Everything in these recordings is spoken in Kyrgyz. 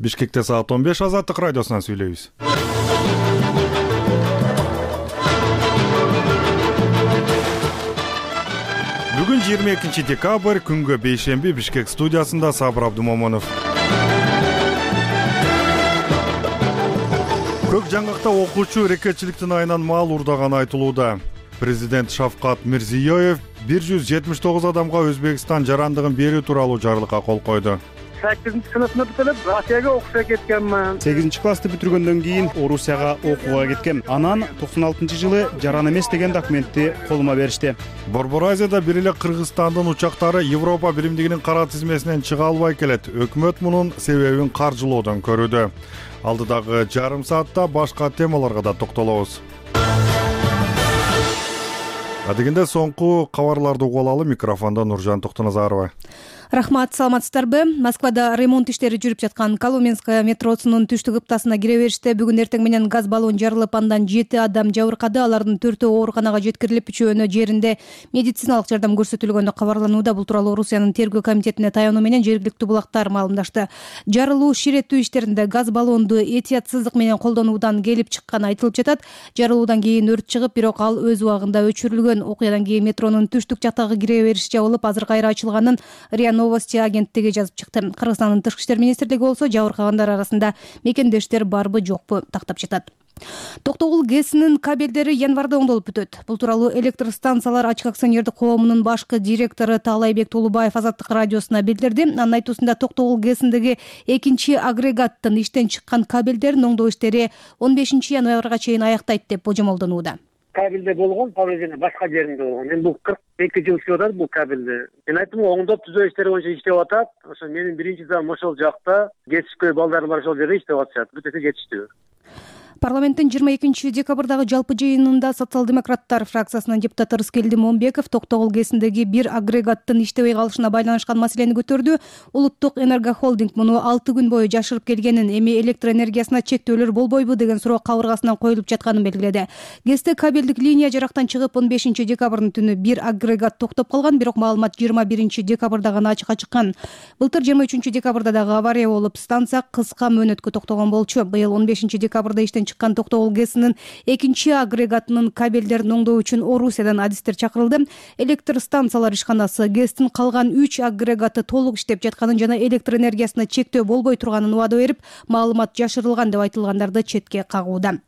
Бишкекте саат 15 Азаттык радиосунан сүйлөйбүз. Бүгүн 22 декабрь, күнгө бейшемби, Бишкек студиясында Сабыр Абдумомонов. Көк жаңгакта окуучу рекетчиликтин айынан мал урдаганы айтылууда. Президент Шавкат Мирзиёев 179 адамга Өзбекстан жарандыгын берүү тууралуу жарлыкка кол койду. 8-сыныпты бүтүрүп, Россияга окуша кеткенмин. 8-классты бүтүргөндөн кийин Орусияга окууга кеткем. Анан 96-жылы жаран эмес деген документти колума беришти. Борбор Азияда бир эле Кыргызстандын учактары Европа биримдигинин кара тизмесинен чыга албай келет. Өкмөт мунун себебин каржылоодон көрүүдө. Алдыдагы жарым саатта башка темаларга да токтолобуз. Адегенде соңку кабарларды угуп алалы. Микрофондо Нуржан Токтоназарова. Рахмат, саламатсыздарбы? Москвада ремонт иштери жүрүп жаткан Коломенская метросунун түштүк ыптасына кире бериште бүгүн эртең менен газ баллон жарылып, андан 7 адам жабыркады. Алардын 4-өө ооруканага жеткирилип, 3-өөнө жеринде медициналык жардам көрсөтүлгөнү кабарланууда. Бул тууралуу Орусиянын тергөө комитетине таянуу менен жергиликтүү булактар маалымдашты. Жарылуу ширеттүү иштеринде газ баллонду этиятсыздык менен колдонуудан келип чыкканы айтылып жатат. Жарылуудан кийин өрт чыгып, бирок ал өз убагында өчүрүлгөн. Окуядан кийин метронун түштүк жактагы кире бериш жабылып, азыр кайра ачылганын РИА Новости агенттиги жазып чыкты. Кыргызстандын тышкы иштер министрлиги болсо жабыркагандар арасында мекендештер барбы жокпу тактап жатат. Токтогул ГЭСинин кабелдери январда оңдолуп бүтөт. Бул тууралуу электр станциялар ачык акционердик коомунун башкы директору Таалайбек Тулубаев Азаттык радиосуна билдирди. Анын айтуусунда Токтогул ГЭСиндеги экинчи агрегаттын иштен чыккан кабелдерин оңдоо иштери 15 январга чейин аяктайт деп божомолдонууда. Кабелде болгон, повреждение башка жеринде болгон. Мен бул 42 жыл иштеп атат бул кабелде. Мен айттым, оңдоп түзөө иштери боюнча иштеп атат. Ошо менин биринчи замым ошол жакта, жетишпей балдар бар ошол жерде иштеп атышат. Бүтөсө жетиштүү. Парламенттин 22 декабрдагы жалпы жыйынында социал-демократтар фракциясынын депутаты Рыскелди Момбеков Токтогул ГЭСиндеги бир агрегаттын иштебей калышына байланышкан маселени көтөрдү. Улуттук энергохолдинг муну 6 күн бою жашырып келгенин, эми электр энергиясына чектөөлөр болбойбу деген суроо кабыргасынан коюлуп жатканын белгиледи. ГЭСте кабелдик линия жарактан чыгып, 15 декабрдын түнү бир агрегат токтоп калган, бирок маалымат 21 декабрда гана ачыкка чыккан. Былтыр 23 декабрда дагы авария болуп, станция кыска мөөнөткө токтогон болчу. Быйыл 15 декабрда иштен чыккан Токтогул ГЭСинин экинчи агрегатынын кабелдерин оңдоо үчүн Орусиядан адистер чакырылды. Электр станциялар ишканасы ГЭСтин калган 3 агрегаты толук иштеп жатканын жана электр энергиясына чектөө болбой турганын убада берип, маалымат жашырылган деп айтылгандарды четке кагууда.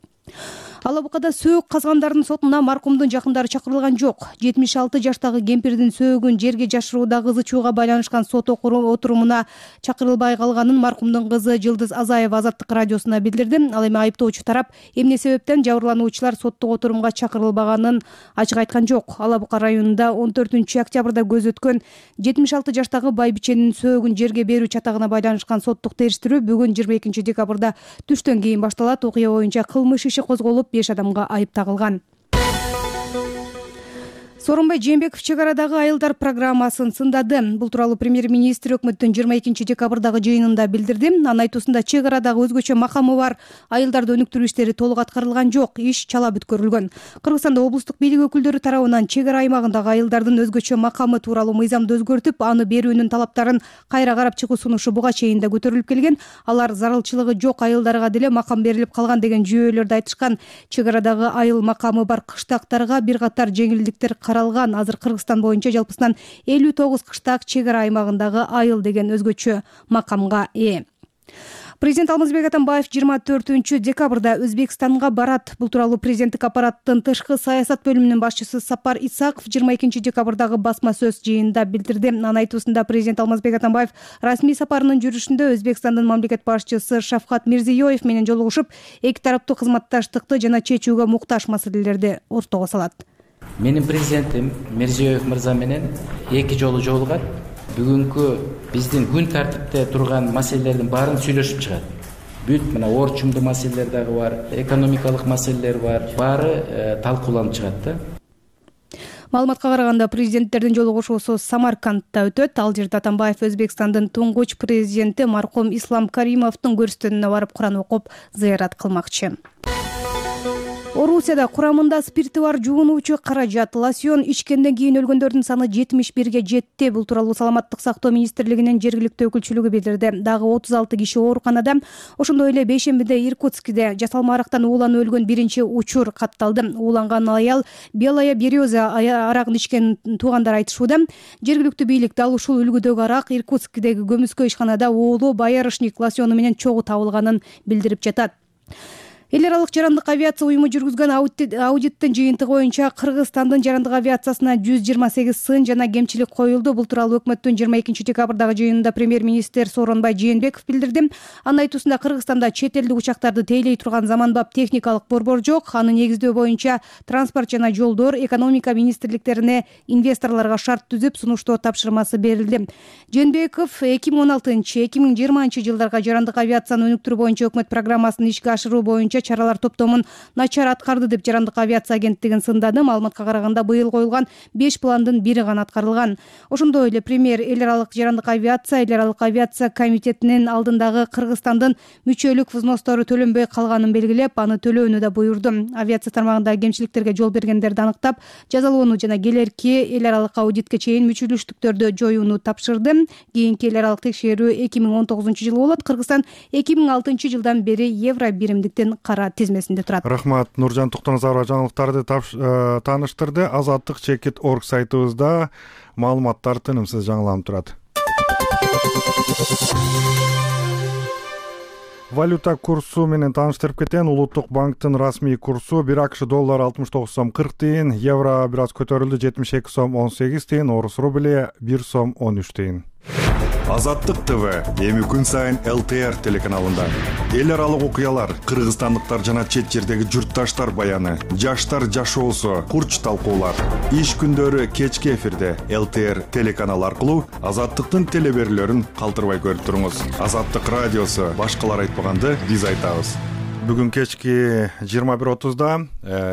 Ала Букада сөөк казгандардын сотуна маркумдун жакындары чакырылган жок. 76 жаштагы кемпирдин сөөгүн жерге жашырууда кызы чууга байланышкан сот отурумуна чакырылбай калганын маркумдун кызы Жылдыз Азаева Азаттык радиосуна билдирди. Ал эми айыптоочу тарап эмне себептен жабырлануучулар соттук отурумга чакырылбаганын ачык айткан жок. Ала Бука районунда 14 октябрда көз өткөн 76 жаштагы байбиченин сөөгүн жерге берүү чатагына байланышкан соттук териштирүү бүгүн 22 декабрда түштөн кийин башталат. Окуя боюнча кылмыш иши козголуп, 5 адамга айып тагылган. Сооронбай Жээнбеков чек арадагы айылдар программасын сындады. Бул тууралуу премьер-министр өкмөттүн 22 декабрдагы жыйынында билдирди. Анын айтуусунда чек арадагы өзгөчө макамы бар айылдарды өнүктүрүү иштери толук аткарылган жок, иш чала бүткөрүлгөн. Кыргызстанда облустук бийлик өкүлдөрү тарабынан чек ара аймагындагы айылдардын өзгөчө макамы тууралуу мыйзамды өзгөртүп, аны берүүнүн талаптарын кайра карап чыгуу сунушу буга чейин да көтөрүлүп келген. Алар зарылчылыгы жок айылдарга деле макам берилип калган деген жүйөлөрдү айтышкан. Чек арадагы айыл макамы бар кыштактарга бир катар жеңилдиктер каралган. Азыр Кыргызстан боюнча жалпысынан 59 кыштак чек ара аймагындагы айыл деген өзгөчө макамга ээ. Президент Алмазбек Атамбаев 24 декабрда Өзбекстанга барат. Бул тууралуу президенттик аппараттын тышкы саясат бөлүмүнүн башчысы Сапар Исаков 22 декабрдагы басма сөз жыйынында билдирди. Анын айтуусунда президент Алмазбек Атамбаев расмий сапарынын жүрүшүндө Өзбекстандын мамлекет башчысы Шавкат Мирзиёев менен жолугушуп, эки тараптуу кызматташтыкты жана чечүүгө муктаж маселелерди ортого салат. Менин президентим Мирзиёев мырза менен эки жолу жолугат. Бүгүнкү биздин күн тартипте турган маселелердин баарын сүйлөшүп чыгат. Бүт мына орчумдуу маселелер дагы бар, экономикалык маселелер бар, баары талкууланып чыгат да. Маалыматка караганда президенттердин жолугушуусу Самаркандта өтөт. Ал жерде Атамбаев Өзбекстандын туңгуч президенти маркум Ислам Каримовдун көрүстөнүнө барып Куран окуп, зыярат кылмакчы. Орусияда курамында спирти бар жуунуучу каражат лосьон ичкенден кийин өлгөндөрдүн саны 71 жетти. Бул тууралуу Саламаттык сактоо министрлигинин жергиликтүү өкүлчүлүгү билдирди. Дагы 36 киши ооруканада, ошондой эле бейшембиде Иркутскиде жасалма арактан ууланып өлгөн биринчи учур катталды. Ууланган аял Белая береза арагын ичкен туугандар айтышууда. Жергиликтүү бийлик дал ушул үлгүдөгү арак Иркутскидеги көмүскө ишканада уулу боярышник лосьону менен чогуу табылганын билдирип жатат. Эл аралык жарандык авиация уюму жүргүзгөн аудиттин жыйынтыгы боюнча Кыргызстандын жарандык авиациясына 128 сын жана кемчилик коюлду. Бул тууралуу өкмөттүн 22 декабрдагы жыйынында премьер-министр Сооронбай Жээнбеков билдирди. Анын айтуусунда Кыргызстанда чет элдик учактарды тейлей турган заманбап техникалык борбор жок. Аны негиздөө боюнча транспорт жана жолдор, экономика министрликтерине инвесторлорго шарт түзүп сунуштоо тапшырмасы берилди. Жээнбеков 2016-2020 жылдарга жарандык авиацияны өнүктүрүү боюнча өкмөт программасын ишке ашыруу боюнча чаралар топтомун начар аткарды деп жарандык авиация агенттигин сындады. Маалыматка караганда быйыл коюлган 5 пландын бири гана аткарылган. Ошондой эле премьер эл аралык жарандык авиация комитетинин алдындагы Кыргызстандын мүчөлүк взностору төлөнбөй калганын белгилеп, аны төлөөнү да буйрду. Авиация тармагындагы кемчиликтерге жол бергендерди аныктап, жазалоону жана келерки эл аралык аудитке чейин мүчөлүштүктөрдү жоюуну тапшырды. Кийинки эл аралык текшерүү 2019 жылы болот. Кыргызстан 2006 жылдан бери евро биримдиктин кара тизмесинде турат. Рахмат. Нуржан Токтоназарова жаңылыктарды тааныштырды. Азаттык.org сайтыбызда маалыматтар тынымсыз жаңыланып турат. Валюта курсу менен тааныштырып кетен. Улуттук банктын расмий курсу 1 АКШ доллар 69 сом 40 тыйын, евро бир аз көтөрүлдү 72 сом 18 тыйын, орус рубли 1 сом 13 тыйын. Азаттык ТВ эми күн сайын ЛТР телеканалында. Эл аралык окуялар, кыргызстандыктар жана чет жердеги журтташтар баяны, жаштар жашоосу, курч талкуулар. Иш күндөрү кечки эфирде ЛТР телеканалы аркылуу Азаттыктын телеберүүлөрүн калтырбай көрүп туруңуз. Азаттык радиосу башкалар айтпаганды биз айтабыз. Бүгүн кечки 21:30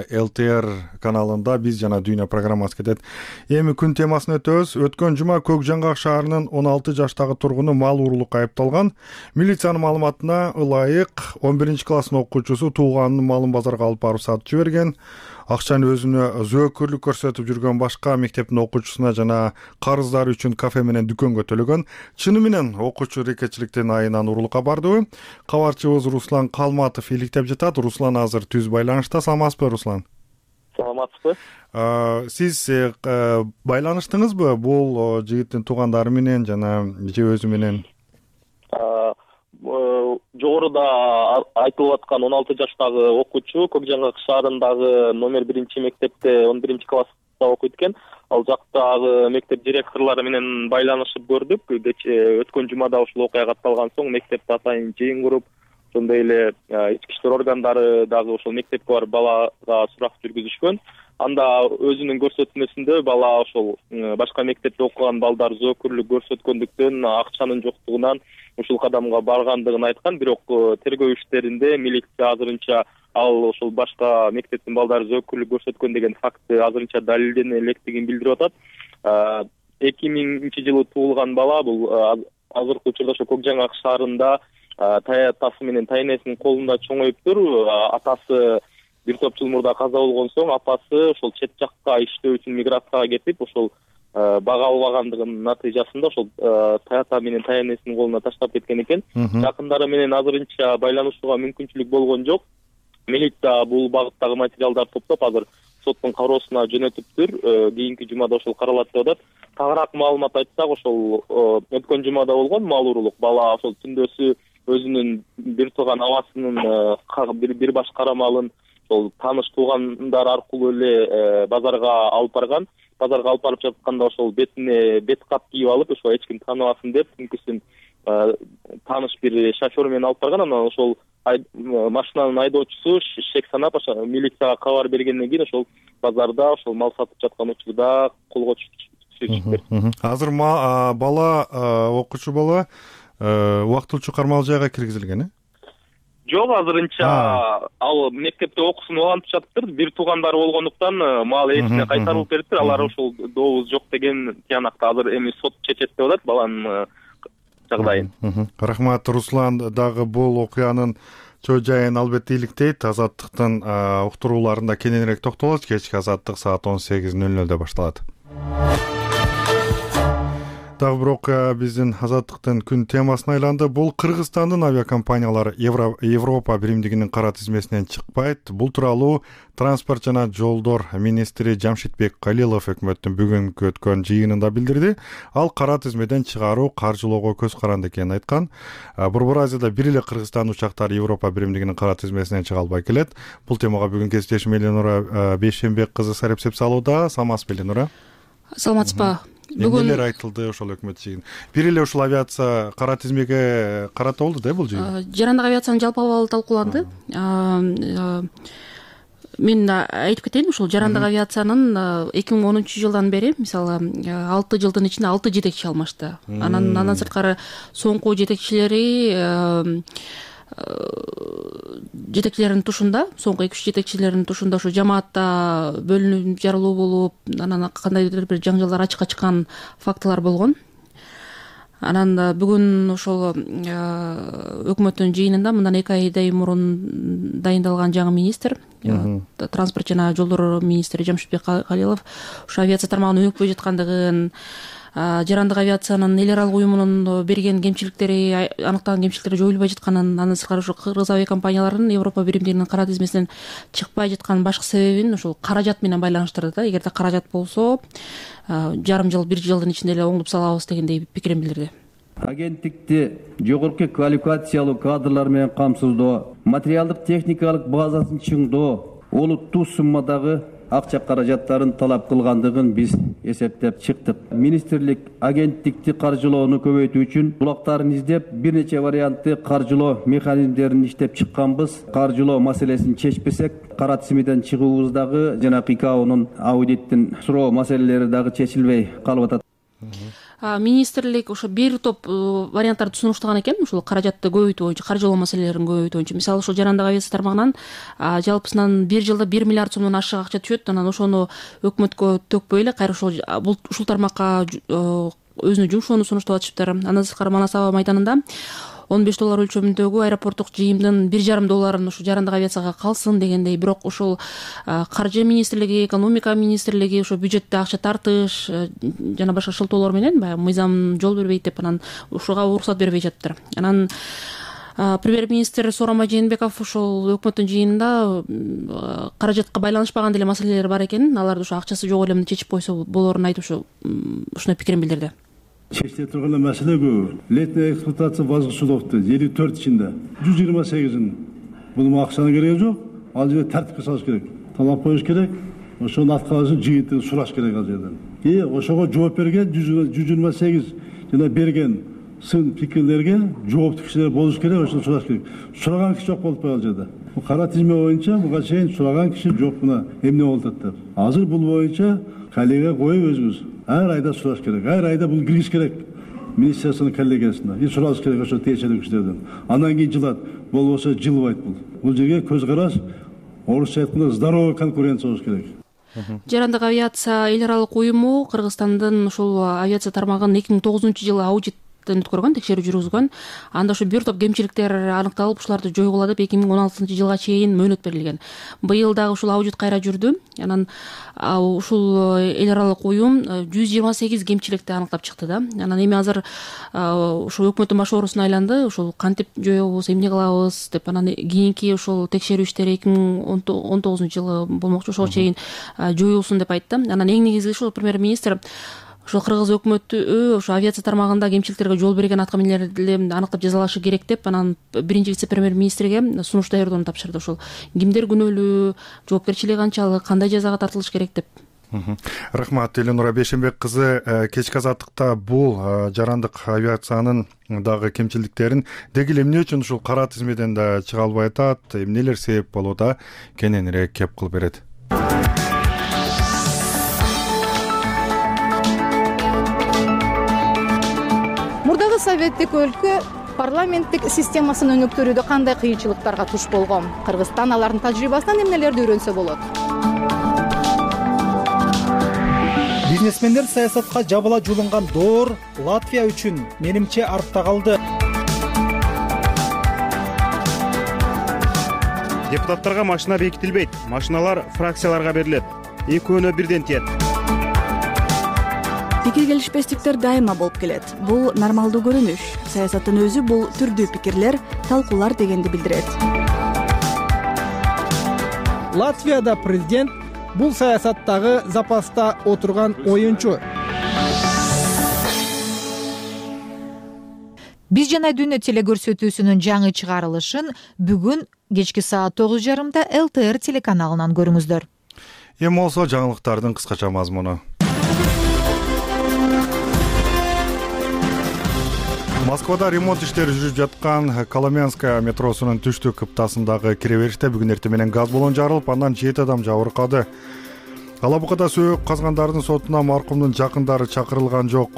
ЛТР каналында биз жана Дүйнө программасы кетет. Эми күн темасын өтөбүз. Өткөн жума Көк Жаңгак шаарынын 16 жаштагы тургуну мал уурулукка айыпталган. Милициянын маалыматына ылайык 11 класстын окуучусу тууганынын малын базарга алып барып сатып жиберген. Акчаны өзүнө зөөкүрлүк көрсөтүп жүргөн башка мектептин окуучусуна жана карыздары үчүн кафе менен дүкөнгө төлөгөн. Чыны менен окуучу рекетчиликтин айынан уурулукка бардыбы? Кабарчыбыз Руслан Калматов иликтеп жатат. Руслан азыр түз байланышта. Саламатсызбы, Руслан? Саламатсызбы. Сиз байланыштыңызбы бул жигиттин туугандары менен жана же өзү менен? Жогоруда айтылып аткан 16 жаштагы окуучу Көк Жаңгак шаарындагы номер 1 мектепте 11 класста окуйт экен. Ал жактагы мектеп директорлору менен байланышып көрдүк. Өткөн жумада ушул окуя катталган соң мектепте атайын жыйын куруп, ошондой эле ички иштер органдары дагы ошол мектепке барып балага сурак жүргүзүшкөн. Анда өзүнүн көрсөтмөсүндө бала ошол башка мектепте окуган балдар зөөкүрлүк көрсөткөндүктөн акчанын жоктугунан ушул кадамга баргандыгын айткан. Бирок тергөө иштеринде милиция азырынча ал ошол башка мектептин балдары зөөкүрлүк көрсөткөн деген факты азырынча далилдене электигин билдирип атат. 2000 жылы туулган бала бул азыркы учурда ошо Көк Жаңгак шаарында атасы менен тайнесинин колунда чоңоюптур. Атасы бир топ жыл мурда каза болгон соң апасы ошол чет жакка иштөө үчүн миграцияга кетип, ошол бага албагандыгынын натыйжасында ошол ата менен тайнесинин колуна таштап кеткен экен. Жакындары менен азырынча байланышууга мүмкүнчүлүк болгон жок. Милиция бул багыттагы материалдарды топтоп азыр соттун кароосуна жөнөтүптүр. Кийинки жумада ошол каралат деп атат. Тагыраак маалымат айтсак, ошол өткөн жумада болгон мал уурулук бала ошол түндөсү өзүнүн бир тууган абасынын бир баш кара малын ошол тааныш туугандар аркылуу эле базарга алып барган. Базарга алып барып жатканда ошол бетине бет кап кийип алып, ошо эч ким тааныбасын деп түнкүсүн тааныш бир шофер менен алып барган. Анан ошол машинанын айдоочусу шек санап милицияга кабар бергенден кийин ошол базарда ошол мал сатып жаткан учурда колго түшүптүр. Азыр бала окуучу бала убактылуу кармалуу жайга киргизилген, э? Жок, азырынча ал мектепте окуусун улантып жатыптыр. Бир туугандары болгондуктан мал ээсине кайтарылып бериптир. Алар ошол дообуз жок деген тиянакта азыр эми сот чечет деп атат баланын жагдайын. Рахмат, Руслан. Дагы бул окуянын Чоо жайын албетте иликтейт. Азаттыктын уктурууларында кененирээк токтолобуз. Кечки азаттык саат 18:00 башталат. Дагы бирок биздин азаттыктын күн темасына айланды. Бул Кыргызстандын авиакомпаниялары Европа биримдигинин кара тизмесинен чыкпайт. Бул тууралуу транспорт жана жолдор министри Жамшитбек Калилов өкмөттүн бүгүнкү өткөн жыйынында билдирди. Ал кара тизмеден чыгаруу каржылоого көз каранды экенин айткан. Борбор Азияда бир эле Кыргызстан учактары Европа биримдигинин кара тизмесинен чыга албай келет. Бул темага бүгүн кесиптешим Эленура Бейшенбек кызы сарепсеп салууда. Саламатсызбы, Эленура? Саламатсызбы. Эмнелер айтылды ошол өкмөт жыйын? Бир эле ушул авиация кара тизмеге карата болду да бул жыйын? Жарандык авиациянын жалпы абалы талкууланды. Мен айтып кетейин, ушул жарандык авиациянын 2010-жылдан бери, мисалы, 6 жылдын ичинде 6 жетекчи алмашты. Андан сырткары соңку жетекчилердин тушунда, соңку 2-3 жетекчилердин тушунда ушу жамаатта бөлүнүп жарылуу болуп, анан кандайдыр бир жаңжалдар ачыкка чыккан фактылар болгон. Анан бүгүн ошол өкмөттүн жыйынында мындан 2 айдай мурун дайындалган жаңы министр, транспорт жана жолдор министри Жамшитбек Калилов ушу авиация тармагынын өнүкпөй жаткандыгын, жарандык авиациянын эл аралык уюмунун берген кемчиликтери, аныктаган кемчиликтери жоюлбай жатканын, андан сырткары ушу кыргыз авиакомпанияларынын Европа биримдигинин кара тизмесинен чыкпай жатканын башкы себебин ушул каражат менен байланыштырды да. Эгерде каражат болсо, жарым жыл, 1 жылдын ичинде эле оңдоп салабыз дегендей пикирин билдирди. Агенттикти жогорку квалификациялуу кадрлар менен камсыздоо, материалдык техникалык базасын чыңдоо, олуттуу суммадагы акча каражаттарын талап кылгандыгын биз эсептеп чыктык. Министрлик агенттикти каржылоону көбөйтүү үчүн булактарын издеп, бир нече вариантты каржылоо механизмдерин иштеп чыкканбыз. Каржылоо маселесин чечпесек, кара тизмеден чыгуубуздагы жана ИКАОнун аудиттин суроо маселелери дагы чечилбей калып атат. Министрлик ошо бир топ варианттарды сунуштаган экен, ушул каражатты көбөйтүү боюнча, каржылоо маселелерин көбөйтүү боюнча. Мисалы, ушул жарандык авиация тармагынан жалпысынан 1 жылда 1 миллиард сомдон ашык акча түшөт. Анан ошону өкмөткө төкпөй эле кайра ушул тармакка өзүнүн жумшоону сунуштап атышыптыр. Андан сырткары Манас аба майданында $15 өлчөмүндөгү аэропорттук жыйымдын $1,5 ушу жарандык авиацияга калсын дегендей. Бирок ушул каржы министрлиги, экономика министрлиги ушу бюджетте акча тартыш жана башка шылтоолор менен баягы мыйзам жол бербейт деп анан ушуга уруксат бербей жатыптыр. Анан премьер-министр Сооронбай Жээнбеков ушул өкмөттүн жыйынында каражатка байланышпаган деле маселелер бар экенин, аларды ушу акчасы жок эле чечип койсо болорун айтып ушуной пикирин билдирди. Чечиле турган маселе көп. Летняя эксплуатация базгы судовду 54 ичинде 128-ин бул акчанын кереги жок. Ал жерде тартипке салыш керек. Талап коюш керек. Ошонун аткарышын жыйынтыгын сураш керек ал жерден. Ошого жооп берген 128 жана берген сын пикирлерге жооптуу кишилер болуш керек, ошону сураш керек. Сураган киши жок болуп ал жерде. Кара тизме боюнча буга чейин сураган киши жок, мына эмне болуп атат. Азыр бул боюнча коллега коюп өзүбүз ар айда сураш керек. Ар айда бул кириш керек министрликтин коллегиясына. Сураш керек ошо тиешелүү кишилерден. Андан кийин жылат, болбосо жылбайт бул. Бул жерге көз караш, орусча айтканда здоровый конкуренция болуш керек. Жарандык авиация эл аралык уюму Кыргызстандын ушул авиация тармагын 2009-жылы аудит өткөргөн, текшерүү жүргүзгөн. Анда ушу бир топ кемчиликтер аныкталып, ушуларды жойгула деп 2016-жылга чейин мөөнөт берилген. Быйыл дагы ушул аудит кайра жүрдү. Анан ушул эл аралык уюм 128 кемчиликти аныктап чыкты да. Анан эми азыр ушул өкмөттүн баш оорусуна айланды. Ушул кантип жоебуз, эмне кылабыз деп анан кийинки ушул текшерүү иштери 2019-жылы болмокчу, ошого чейин жоюлсун деп айтты. Анан эң негизги ушул премьер-министр ошол кыргыз өкмөтү ошо авиация тармагында кемчиликтерге жол берген аткаминерлерди аныктап жазалашы керек деп анан биринчи вице-премьер-министрге сунуш даярдоону тапшырды. Ошол кимдер күнөөлүү, жоопкерчилиги канчалык, кандай жазага тартылыш керек деп. Рахмат, Эленура Бейшенбек кызы. Кечки азаттыкта бул жарандык авиациянын дагы кемчиликтерин деги эле эмне үчүн ушул кара тизмеден да чыга албай атат, эмнелер себеп болууда, кененирээк кеп кылып берет. Мурдагы советтик өлкө парламенттик системасын өнүктүрүүдө кандай кыйынчылыктарга туш болгон? Кыргызстан алардын тажрыйбасынан эмнелерди үйрөнсө болот? Бизнесмендер саясатка жабыла жулунган доор Латвия үчүн менимче артта калды. Депутаттарга машина бекитилбейт, машиналар фракцияларга берилет. Экөөнө бирден тиет. Пикир келишпестиктер дайыма болуп келет. Бул нормалдуу көрүнүш. Саясаттын өзү бул түрдүү пикирлер, талкуулар дегенди билдирет. Латвияда президент бул саясаттагы запаста отурган оюнчу. Биз жана дүйнө телекөрсөтүүсүнүн жаңы чыгарылышын бүгүн кечки саат 9:30 ЛТР телеканалынан көрүңүздөр. Эми болсо жаңылыктардын кыскача мазмуну. Москвада ремонт иштери жүрүп жаткан Коломенская метросунун түштүк кыптасындагы кире бериште бүгүн эртең менен газ баллон жарылып, андан 7 адам жабыркады. Алабукада сөөгүп казгандардын сотуна маркумдун жакындары чакырылган жок.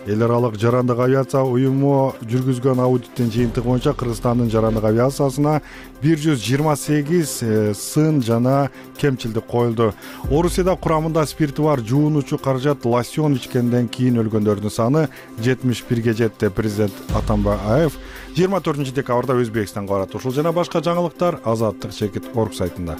Эл аралык жарандык авиация уюму жүргүзгөн аудиттин жыйынтыгы боюнча Кыргызстандын жарандык авиациясына 128 сын жана кемчилдик коюлду. Орусияда курамында спирти бар жуунуучу каражат лосьон ичкенден кийин өлгөндөрдүн саны 71ге жетти. Президент Атамбаев 24 декабрда Өзбекстанга барат. Ушул жана башка жаңылыктар Азаттык Чекит.org сайтында.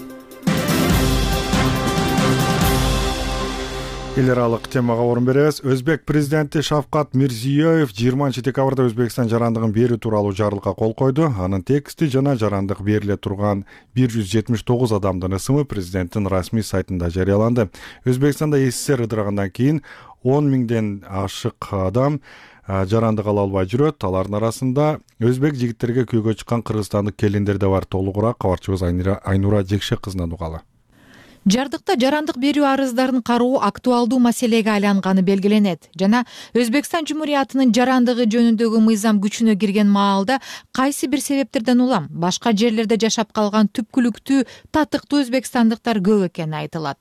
Эл аралык темага орун беребиз. Өзбек президенти Шавкат Мирзиёев 20 декабрда Өзбекстан жарандыгын берүү тууралуу жарлыкка кол койду. Анын тексти жана жарандык бериле турган 179 адамдын ысымы президенттин расмий сайтында жарыяланды. Өзбекстанда СССР ыдырагандан кийин 10 миңден ашык адам жарандык ала албай жүрөт. Алардын арасында өзбек жигиттерге күйгө чыккан кыргызстандык келиндер да бар. Толугураак кабарчыбыз Айнура Жекшек кызынан угалы. Жардыкта жарандык берүү арыздарын кароо актуалдуу маселеге айланганы белгиленет жана Өзбекстан Жумуриятынын жарандыгы жөнүндөгү мыйзам күчүнө кирген маалда кайсы бир себептерден улам башка жерлерде жашап калган түпкүлүктүү татыктуу өзбекстандыктар көп экени айтылат.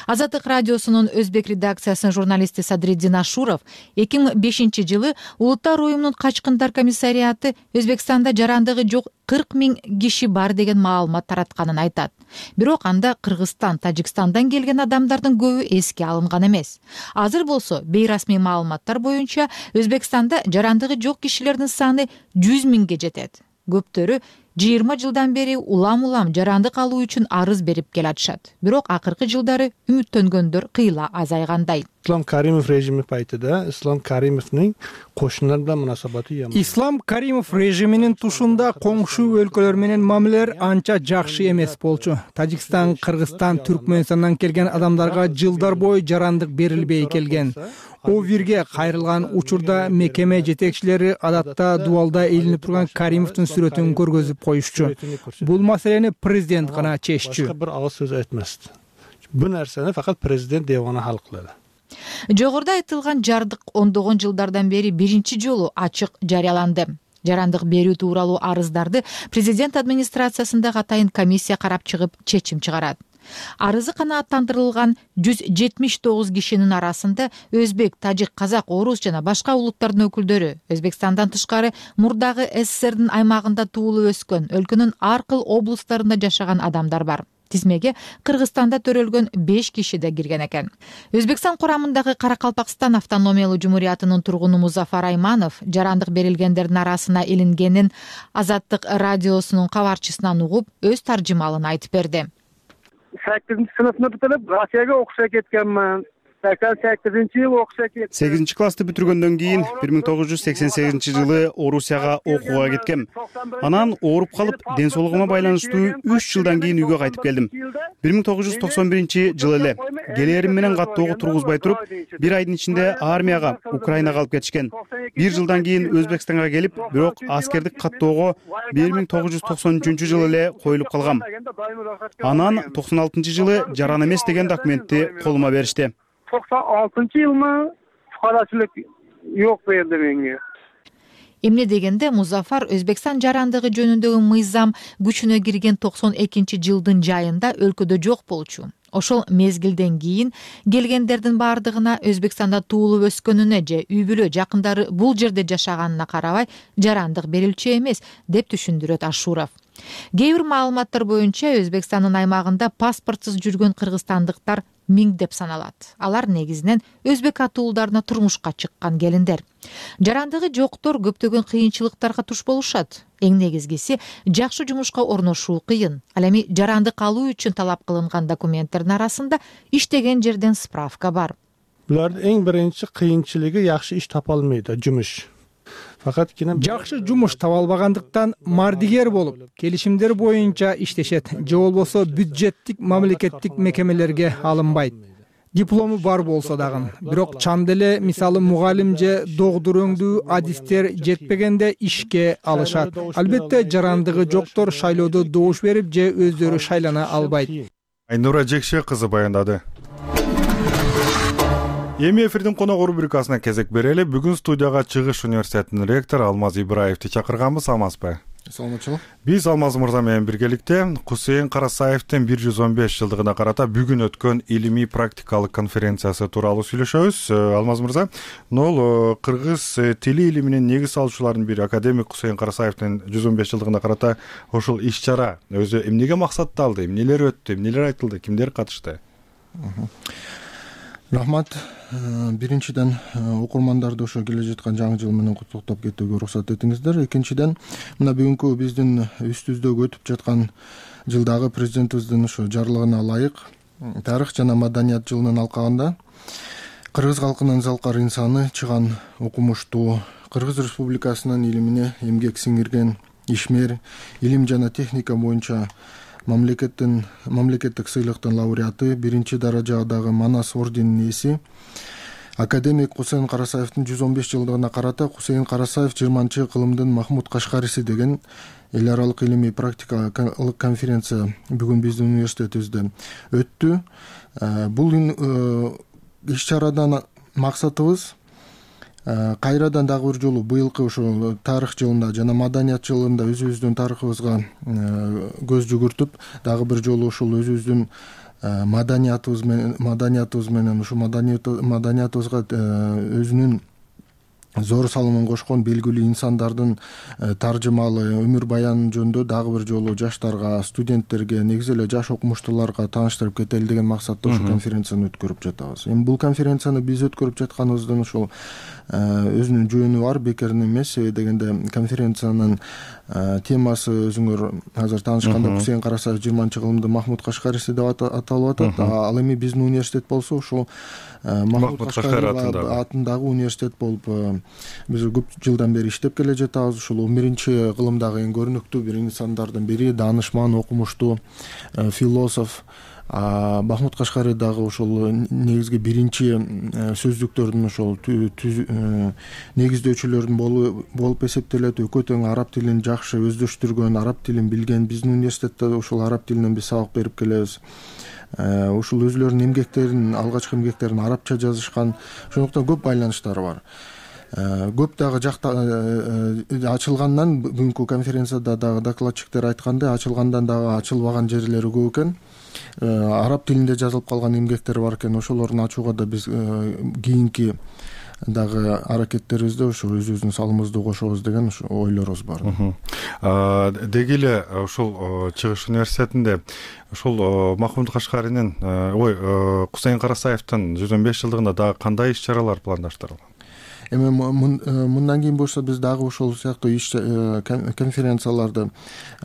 Азаттык радиосунун өзбек редакциясынын журналисти Садриддин Ашуров 2005 жылы Улуттар уюмунун качкындар комиссариаты Өзбекстанда жарандыгы жок 40 000 киши бар деген маалымат таратканын айтат. Бирок анда Кыргызстан, Тажикстандан келген адамдардын көбү эске алынган эмес. Азыр болсо бейрасмий маалыматтар боюнча Өзбекстанда жарандыгы жок кишилердин саны 100 000ге жетет. Көптөрү 20 жылдан бери улам жарандык алуу үчүн арыз берип келатышат. Бирок акыркы жылдары үмүттөнгөндөр кыйла азайгандай. Ислам Каримов режими пайтыда Ислам Каримовдун кошуналарда мунасабаты жаман. Ислам Каримов режиминин тушунда коңшу өлкөлөр менен мамилелер анча жакшы эмес болчу. Тажикстан, Кыргызстан, Түркмөнстандан келген адамдарга жылдар бою жарандык берилбей келген. Овирге кайрылган учурда мекеме жетекчилери адатта дубалда илинип турган Каримовдун сүрөтүн көргөзүп коюшчу. Бул маселени президент гана чеччү. Башка бир агыз сөз айтмаст. Бу нерсени факат президент девана хал кылат. Жогоруда айтылган жардык ондогон жылдардан бери биринчи жолу ачык жарыяланды. Жарандык берүү тууралуу арыздарды президент администрациясында атайын комиссия карап чыгып чечим чыгарат. Арызы канааттандырылган 179 кишинин арасында өзбек, тажик, казак, орус жана башка улуттардын өкүлдөрү, Өзбекстандан тышкары мурдагы СССРдин аймагында туулуп өскөн, өлкөнүн ар кыл облустарында жашаган адамдар бар. Тизмеге Кыргызстанда төрөлгөн 5 киши да кирген экен. Өзбекстан курамындагы Каракалпакстан автономиялуу жумуриятынын тургуну Музафар Айманов жарандык берилгендердин арасына илингенин Азаттык радиосунун кабарчысынан угуп, өз таржымалын айтып берди. 8 сыныпны бүтүрүп Россияга окушка кеткенмин. 88-жылы окушка кеттим. 8-классты бүтүргөндөн кийин 1988-жылы Орусияга окууга кеткем. Анан ооруп калып, ден соолугума байланыштуу 3 жылдан кийин үйгө кайтып келдим. 1991-жылы эле келээрим менен каттоого тургузбай туруп, бир айдын ичинде армияга, Украинага алып кетишкен. 1 жылдан кийин Өзбекстанга келип, бирок аскердик каттоого 1993-жылы эле коюлуп калгам. Анан 96-жылы жаран эмес деген документти колума беришти. 96-жылы фукарачылык жок берди менге. Эмне дегенде Музафар Өзбекстан жарандыгы жөнүндөгү мыйзам күчүнө кирген 92-жылдын жайында өлкөдө жок болчу. Ошол мезгилден кийин келгендердин бардыгына Өзбекстанда туулуп өскөнүнө же үй бүлө жакындары бул жерде жашаганына карабай жарандык берилчү эмес деп түшүндүрөт Ашуров. Кээ бир маалыматтар боюнча Өзбекстандын аймагында паспортсуз жүргөн кыргызстандыктар миңдеп саналат. Алар негизинен өзбек атуулдарына турмушка чыккан келиндер. Жарандыгы жоктор көптөгөн кыйынчылыктарга туш болушат. Эң негизгиси жакшы жумушка орношуу кыйын. Ал эми жарандык алуу үчүн талап кылынган документтердин арасында иштеген жерден справка бар. Булардын эң биринчи кыйынчылыгы жакшы иш тапа албайт, жумуш. Жакшы жумуш таба албагандыктан мардигер болуп, келишимдер боюнча иштешет же болбосо бюджеттик мамлекеттик мекемелерге алынбайт. Диплому бар болсо дагы, бирок чанд эле мисалы мугалим же догдурөңдүү адистер жетпегенде ишке алышат. Албетте жарандыгы жоктор шайлоодо добуш берип же өздөрү шайлана албайт. Айнура Жекше кызы баяндады. Эми эфирдин конок рубрикасына кезек берели. Бүгүн студияга Чыгыш университетинин ректору Алмаз Ибраевди чакырганбыз. Амазбы? Саламатчылык. Биз Алмаз мырза менен биргеликте Кусейин Карасаевдин 115 жылдыгына карата бүгүн өткөн илимий практикалык конференциясы тууралуу сүйлөшөбүз. Алмаз мырза, кыргыз тили илиминин негиз салуучуларынын бири академик Кусейин Карасаевдин 115 жылдыгына карата ошол иш-чара өзү эмнеге максатталды, эмнелер өттү, эмнелер айтылды, кимдер катышты? Рахмат. Биринчиден окурмандарды ошо келе жаткан жаңы жыл менен куттуктап кетүүгө уруксат этиңиздер. Экинчиден, мына бүгүнкү биздин үстүбүздөгү өтүп жаткан жылдагы президентибиздин ошо жарлыгына ылайык тарых жана маданият жылынын алкагында кыргыз халкынын залкар инсаны, чыган окумуштуу, Кыргыз Республикасынын илимине эмгек сиңирген ишмер, илим жана техника боюнча мамлекеттик сыйлыктын лауреаты, биринчи даражадагы Манас орденинин ээси академик Кусейин Карасаевдин 115 жылдыгына карата Кусейин Карасаев 20-чы кылымдын Махмуд Кашкариси деген эл аралык илимий практикалык конференция бүгүн биздин университетибизде өттү. Бул иш-чарадан максатыбыз кайрадан дагы бир жолу быйылкы ошо тарых жылында жана маданият жылында өзүбүздүн тарыхыбызга көз жүгүртүп, дагы бир жолу ошол өзүбүздүн маданиятыбыз менен ушу маданиятыбызга өзүнүн зор салымын кошкон белгилүү инсандардын таржымалы өмүр баянын жөнүндө дагы бир жолу жаштарга, студенттерге, негизи эле жаш окумуштууларга тааныштырып кетели деген максатта ушул конференцияны өткөрүп жатабыз. Эми бул конференцияны биз өткөрүп жатканыбыздын ошол өзүнүн жөнү бар, бекер эмес. Себеби дегенде конференциянын темасы өзүңөр азыр таанышканда Кусейин Карасаев 20-чы кылымдын Махмуд Кашкариси деп аталып атат. Ал эми биздин университет болсо ушул Махмуд Кашкари атындагы университет болуп биз көп жылдан бери иштеп келе жатабыз. Ушул 11-чи кылымдагы эң көрүнүктүү бир инсандардын бири, даанышман, окумуштуу, философ. Махмуд Кашкари дагы ошол негизги биринчи сөздүктөрдүн ошол негиздөөчүлөрүн болуп эсептелет. Экөө тең араб тилин жакшы өздөштүргөн, араб тилин билген. Биздин университетте ошол араб тилинен биз сабак берип келебиз. Ушул өзүлөрүнүн эмгектерин, алгачкы эмгектерин арабча жазышкан. Ошондуктан көп байланыштары бар. Көп дагы жакта ачылгандан, бүгүнкү конференцияда дагы докладчиктер айткандай, ачылгандан дагы ачылбаган жерлери көп экен. Араб тилинде жазылып калган эмгектер бар экен. Ошолорун ачууга да биз кийинки дагы аракеттерибизде ошо өзүбүздүн салымыбызды кошобуз деген ойлорубуз бар. Деги эле ушул Чыгыш университетинде ушул Махмуд Кашкаринин Кусейин Карасаевдин 115 жылдыгында дагы кандай иш-чаралар пландаштырылган? Эми мындан кийин болсо биз дагы ошол сыяктуу конференцияларды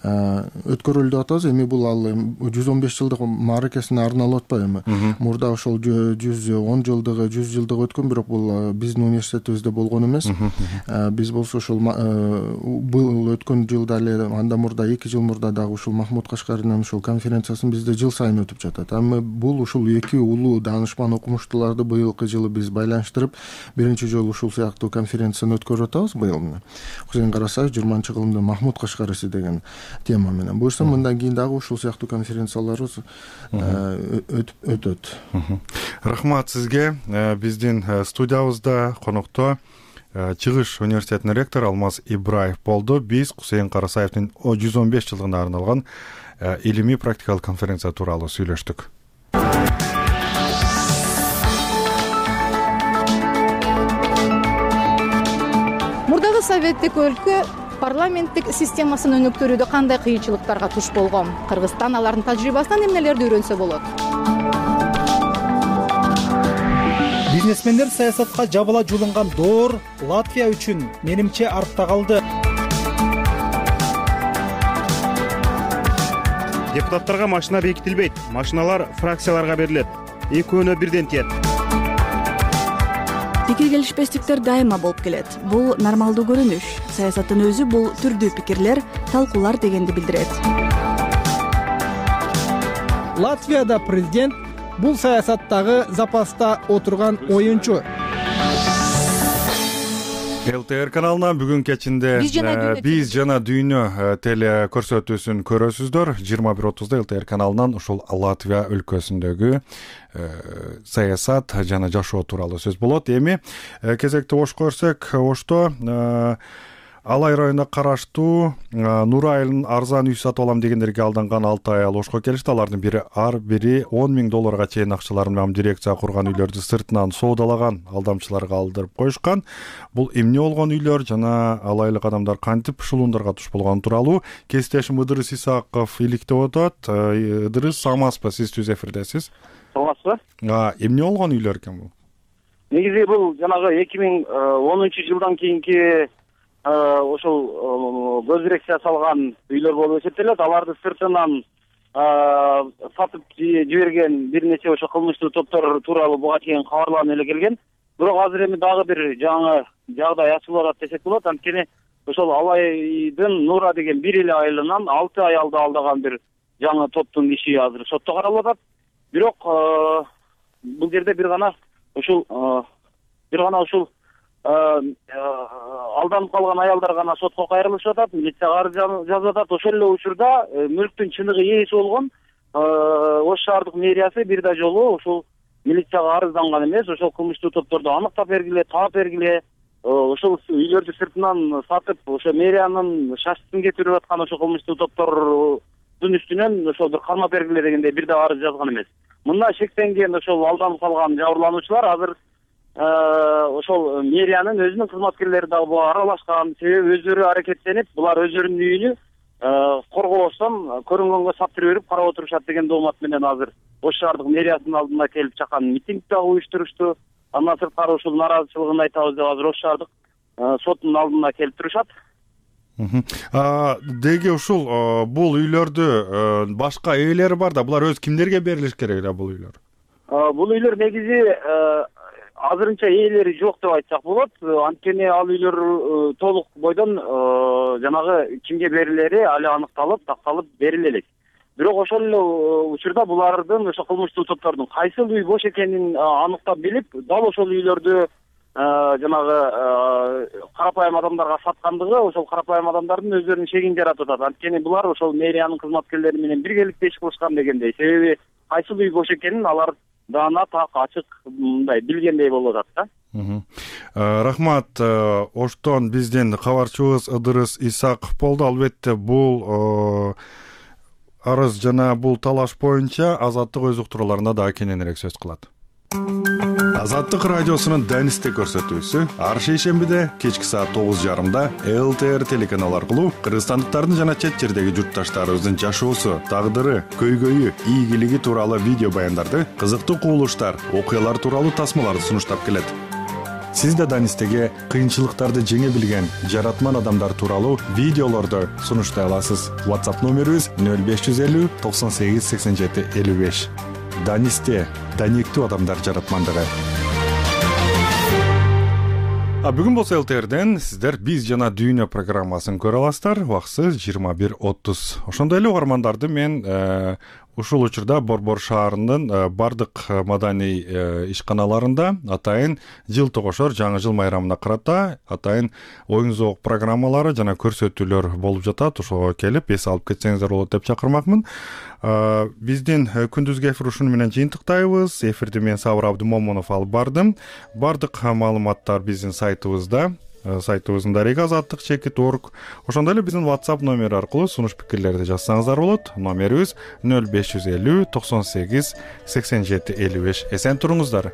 өткөрөлү деп атабыз. Эми бул ал 115 жылдык мааракесине арналып атпайбы? Мурда ошол 110 жылдыгы, 100 жылдыгы өткөн, бирок бул биздин университетибизде болгон эмес. Биз болсо ошол бул өткөн жылда эле, анда мурда 2 жыл мурда дагы ушул Махмуд Кашкаринин ушул конференциясын бизде жыл сайын өтүп жатат. Эми бул ушул эки улуу даанышман окумуштууларды быйылкы жылы биз байланыштырып, биринчи жолу ушул сыяктуу конференцияны өткөрүп атабыз быйыл. Кусейин Карасаев 20-чы кылымдын Махмуд Кашкариси деген тема менен. Буюрса мындан кийин дагы ушул сыяктуу конференцияларыбыз өтөт. Рахмат сизге. Биздин студиябызда конокто Чыгыш университетинин ректору Алмаз Ибраев болду. Биз Кусейин Карасаевдин 115 жылдыгына арналган илимий практикалык конференция тууралуу сүйлөштүк. Мурдагы советтик өлкө парламенттик системасын өнүктүрүүдө кандай кыйынчылыктарга туш болгон? Кыргызстан алардын тажрыйбасынан эмнелерди үйрөнсө болот? Бизнесмендер саясатка жабыла жулунган доор Латвия үчүн менимче артта калды. Депутаттарга машина бекитилбейт, машиналар фракцияларга берилет. Экөөнө бирден тиет. Пикир келишпестиктер дайыма болуп келет. Бул нормалдуу көрүнүш. Саясаттын өзү бул түрдүү пикирлер, талкуулар дегенди билдирет. Латвияда президент бул саясаттагы запаста отурган оюнчу. ЛТР каналынан бүгүн кечинде биз жана дүйнө теле көрсөтүүсүн көрөсүздөр. 21:30 ЛТР каналынан ушул Латвия өлкөсүндөгү саясат жана жашоо тууралуу сөз болот. Эми кезекти ошко көрсөк, ошто Алай районуна караштуу Нур айылын арзан үй сатып алам дегендерге алданган 6 аял ошко келишти. Алардын бири ар бири 10 000 долларга чейин акчаларын менен дирекция курган үйлөрдү сыртынан соодалаган алдамчыларга алдырып коюшкан. Бул эмне болгон үйлөр жана алайлык адамдар кантип ушулундарга туш болгон тууралуу кесиптешим Ыдырыс Исаков иликтеп атат. Ыдырыс, саламатсызбы? Сиз түз эфирдесиз. Саламатсызбы? Эмне болгон үйлөр экен бул? Негизи бул жанагы 2010-жылдан кийинки ошол көз дирекция салган үйлөр болуп эсептелет. Аларды сыртынан сатып жиберген бир нече ошо кылмыштуу топтор тууралуу буга чейин кабарланып эле келген. Бирок азыр эми дагы бир жаңы жагдай ачылып атат десек болот. Анткени ошол Алайдын Нура деген бир эле айылынан 6 аялды алдаган бир жаңы топтун иши азыр сотто каралып атат. Бирок бул жерде бир гана ушул алданып калган аялдар гана сотко кайрылышып атат, милицияга арыз жазып атат. Ошол эле учурда мүлктүн чыныгы ээси болгон Ош шаардык мэриясы бир да жолу ушул милицияга арызданган эмес, ошол кылмыштуу топторду аныктап бергиле, таап бергиле, ошол үйлөрдү сыртынан сатып, ошо мэриянын шашсын кетирип аткан ошол кылмыштуу топтордун үстүнөн ошол бир кармап бергиле дегендей бир да арыз жазган эмес. Мында шектенген ошол алданып калган жабырлануучулар азыр ошол мэриянын өзүнүн кызматкерлери дагы буга аралашкан. Себеби өздөрү аракеттенип, булар өздөрүнүн үйүнү коргобостон көрүнгөнгө саптырып берип карап отурушат деген доомат менен азыр Ош шаардык мэриясынын алдына келип чакан митинг дагы уюштурушту. Андан сырткары ушул нааразычылыгын айтабыз деп азыр Ош шаардык сотунун алдына келип турушат. Деги ушул бул үйлөрдү башка ээлери бар да, булар өзү кимдерге берилиш керек да бул үйлөр? Бул үйлөр негизи азырынча ээлери жок деп айтсак болот. Анткени ал үйлөр толук бойдон жанагы кимге берилери али аныкталып, такталып бериле элек. Бирок ошол эле учурда булардын ошо кылмыштуу топтордун кайсыл үй бош экенин аныктап билип, дал ошол үйлөрдү жанагы карапайым адамдарга саткандыгы ошол карапайым адамдардын өздөрүнүн шегин жаратып атат. Анткени булар ошол мэриянын кызматкерлери менен биргеликте иш кылышкан дегендей. Себеби кайсыл үй бош экенин алар даана так ачык мындай билгендей болуп атат да. Рахмат. Оштон биздин кабарчыбыз Ыдырыс Исаков болду. Албетте бул арыз жана бул талаш боюнча Азаттык өз уктурууларында дагы кененирээк сөз кылат. Азаттык радиосунун Данисте көрсөтүүсү ар шейшембиде кечки саат 9:30 ЛТР телеканалы аркылуу кыргызстандыктардын жана чет жердеги журтташтарыбыздын жашоосу, тагдыры, көйгөйү, ийгилиги тууралуу видео баяндарды, кызыктуу кубулуштар, окуялар тууралуу тасмаларды сунуштап келет. Сиз да Данистеге кыйынчылыктарды жеңе билген жаратман адамдар тууралуу видеолорду сунуштай аласыз. WhatsApp номерибиз 0550 98 87 55. Данисте даниктүү адамдар жаратмандыгы. Бүгүн болсо ЛТРден сиздер биз жана дүйнө программасын көрө аласыздар. Убакыты 21:30. Ошондой эле угармандарды мен ушул учурда Борбор шаарынын бардык маданий ишканаларында атайын жыл тогошор жаңы жыл майрамына карата атайын оюн зоок программалары жана көрсөтүүлөр болуп жатат. Ошого келип эс алып кетсеңиздер болот деп чакырмакмын. Биздин күндүзгү эфир ушуну менен жыйынтыктайбыз. Эфирди мен Сабыр Абдымомунов алып бардым. Бардык маалыматтар биздин сайтыбызда. Сайтыбыздын дареги azattik.org. Ошондой эле биздин WhatsApp номери аркылуу сунуш пикирлерди жазсаңыздар болот. Номерибиз 0550 98 87 55. Эсен туруңуздар.